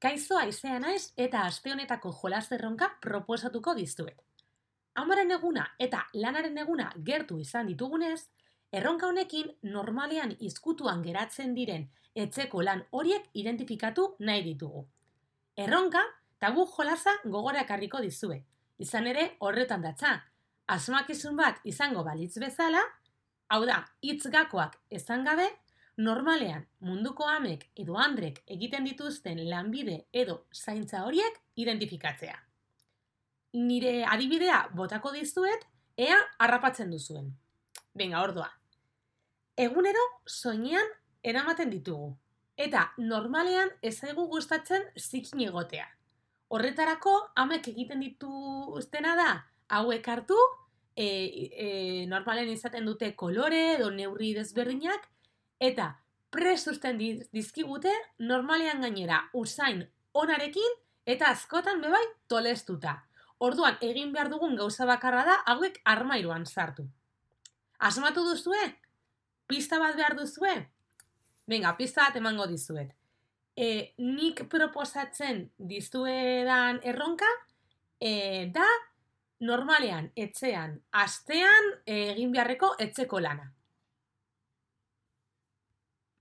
Kaixo Aizea naiz eta aste honetako jolas erronka proposatuko dizuet. Amaren eguna eta lanaren eguna gertu izan ditugunez, erronka honekin normalean izkutuan geratzen diren etxeko lan horiek identifikatu nahi ditugu. Erronka tabu jolasa gogora ekarriko dizue. Izan ere horretan datza, asmakizun bat izango balitz bezala, hau da, hitz gakoak esan gabe, normalean munduko amek edo andrek egiten dituzten lanbide edo zaintza horiek identifikatzea. Nire adibidea botako dizuet, ea harrapatzen duzuen. Benga, ordua. Egunero soinean eramaten ditugu. Eta normalean ez zaigu gustatzen zikin egotea. Horretarako amek egiten dituztena da hauek hartu, normalen izaten dute kolore edo neurri desberdinak, eta prest uzten dizkigute normalean gainera usain onarekin eta askotan bebai tolestuta. Orduan egin behar dugun gauza bakarra da hauek armairuan sartu. Asmatu duzue? Pista bat behar duzue? Venga, pista bat emango dizuet. Nik proposatzen dizuedan erronka da normalean etxean astean egin beharreko etxeko lana.